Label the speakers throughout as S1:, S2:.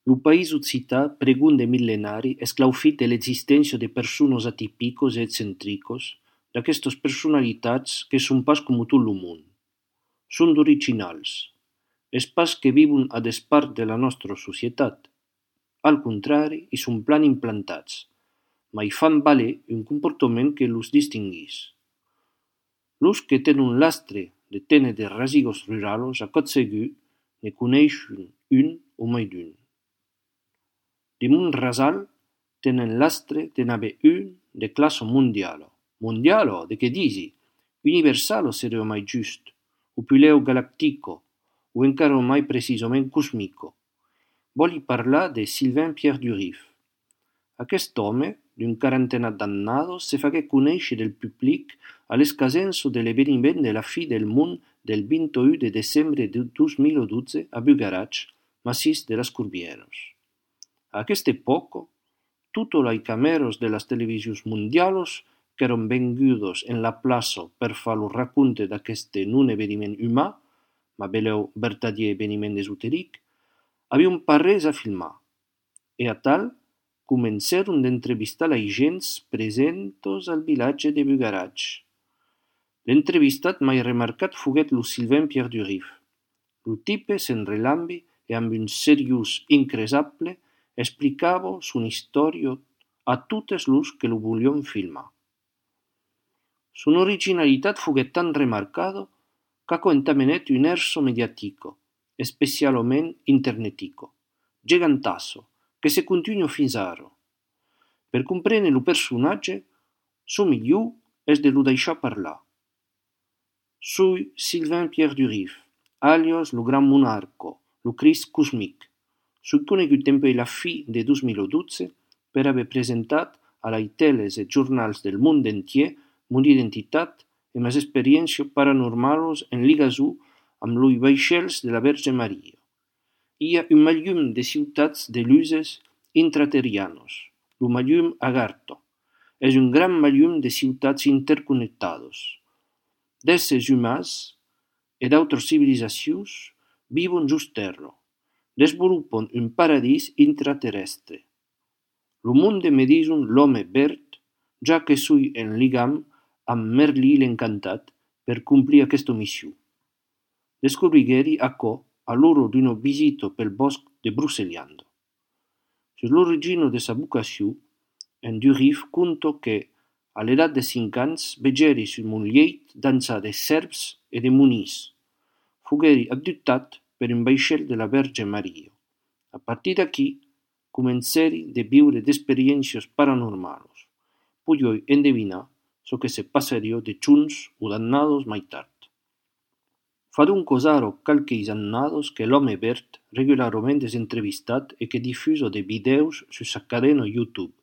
S1: Lo país occità, pregun de millenari, esclaufit de l'existència de persones atipicos e excentricos, d'aquestes personalitats que son pas como tot lo món. Son d'originals. Es pas que vivon a despart de la nostra societat. Al contrari, i son plan implantats, ma hi fan valer un comportament que los distinguís. Los que tenen l'astre de téner de rasigos ruralos, a cot segur, ne coneishen un o mai d'un. De mon rasal tenen l'astre de n'haver un de classe mondiala. Mondiala, de che disi? Universalo seria mai just, o puleo galactico, o encara mai precisament cosmico. Voli parlar de Sylvain Pierre Durif. Aquest home, d'un quarantena d'annados, se fagué conèixer del public a l'escasenso de l'eveniment de la fi del món del 21 de desembre de 2012 a Bugarach, massís de las Curbieros. A aquesta època, totes les càmeres de les televisions mundials que eren vengudes en la plaça per fer el raconte d'aquest non eveniment humà, ma beleu vertadier eveniment esotéric, havien parès a filmar, e a tal comencèron d'entrevistar les gents presentes al vilatge de Bugarach. L'entrevistat mai remarcat foguèt lo Sylvain Pierre Durif. Lo tipe s'enrelambi e amb un seriós incresable explicava son història a totes los que lo volion filmar. Son originalitat foguèt tan remarcada qu'aquò entamenèt un erso mediatico, especialment internetico, gigantasso, que se continua fins ara. Per comprendre lo personatge, so millor és de lo deixar parlar. Soy Sylvain Pierre Durif, alias lo Gran Monarco, lo Crist Cosmic. Soy conegut dempuèi la fi de 2012 per haver presentat a les teles e jornals del món entier mon identitat e mes experiències paranormals en ligaçó amb los vaixells de la Verge Maria. Hi ha un mallum de ciutats de luses intraterrianos, lo mallum Agartha. És un gran mallum de ciutats interconnectades. D'éssers humans e d'autres civilisacions viuen just terra, desenvolupen un paradís intraterrestre. Lo monde me dison l'home verd, ja que soy en ligam amb Merlí l'encantat per complir aquesta missió. Descobrigueri aquò a l'hora d'una visita pel bosc de Broceliande. Sur l'origine de sa vocació, en Durif conta que, a l'edat de 5 anys, vegeri sur mon leit dansar de serps e de monís. Fogueri abductat per un vaixell de la Verge Maria. A partir d'aquí, comenceri de viure d'experiències paranormals. Puioi endevinar so que se passaria de junts o d'annados mai tard. Fa donc ara calques annados que l'home verd regularment és entrevistat e que difusa de videos sur sa cadena YouTube.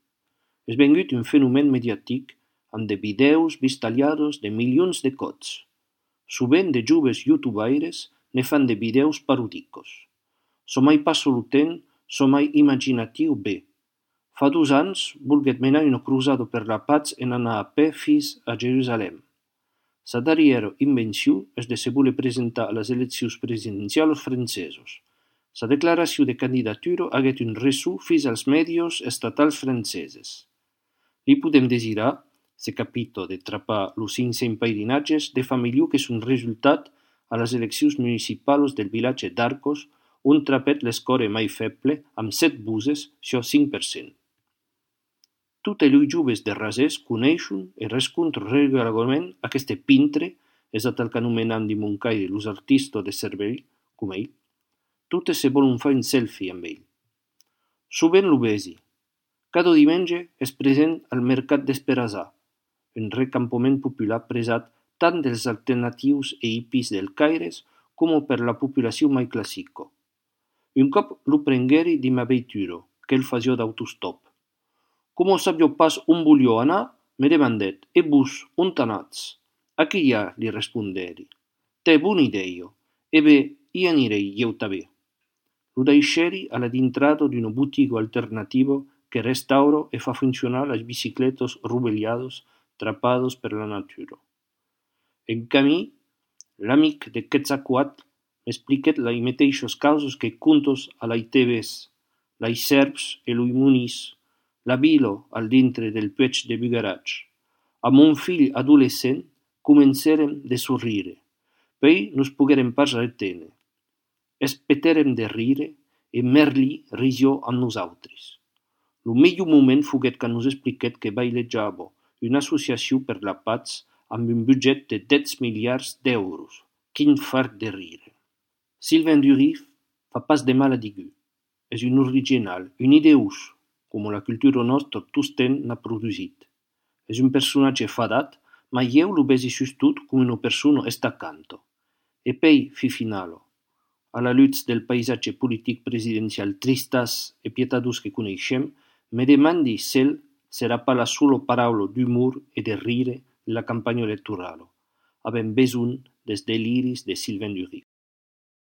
S1: És vengut un fenomen mediàtic amb de videos vistaliados de milions de cops. Sovint de joves youtubaires ne fan de videos parodicos. So mai passa lo temps, so mai imaginatiu bé. Fa 2 anys volguet menar una cruzada per la paz en anar a peu fins a Jerusalem. Sa darriera invenció és de se voler presentar a les eleccions presidencials franceses. Sa declaració de candidatura haguét un ressò fins als medios estatals franceses. Li podem desirar, se capita de trapar los 500 peirinatges de família que són resultat a les eleccions municipals del vilatge d'Arcos, on trapet l'escore mai feble amb 7 buses sur 5%. Tots els joves de Rasès coneixen i rescontren regularment aquest pintre, és el que anomenem de Montcaire els artistes de cervell, com ell. Totes se volen fer un selfie amb ell. Sovint lo vegi. Cada diumenge és present al mercat d'Esperazà, un recampament popular presat tant dels alternatius e hippies del Caire com per la població mai clàssica. Un cop lo prengueri de ma veitura, que el fasia d'autostop. Com sabia pas on volia anar, me demandèt, e vos, on t'anats? Aquí hi ha, li responderi. Té bona idea, e bé, hi anirei jo també. Lo deixeri a la dintrada d'una botiga alternativa que restaura e fa funcionar les bicicletes rovellades trappades per la natura. En camí, l'amic de Quetzalcoatl m'expliquèt les mateixes causes que contes a les TVs, lai Serps e lui Muniz, la Bilo al dintre del puig de Bugarach. A mon fill adolescent comencèrem de sorrire, poi nos poguérem pas reténer. Espetèrem de rire e Merli risió amb nosaltres. Lo millor moment foguet quan nos expliquèt que bailejava una associació per la paz amb un budget de 10 miliards d'euros. Quin fart de rire! Sylvain Durif fa pas de mal a digu. És un original, un ideus, com la cultura nostra tosten n'ha produsit. És un personatge fadat, ma eu lo besi sustot com una persona estacanto. E poi, fi finalo, a la luz del paisatge politic presidencial tristas e pietadós que coneixem, me demandi s'el serà pas la sola paraula d'humor e de rire en la campanya electorale. Avem besoin des deliris de Sylvain Durif.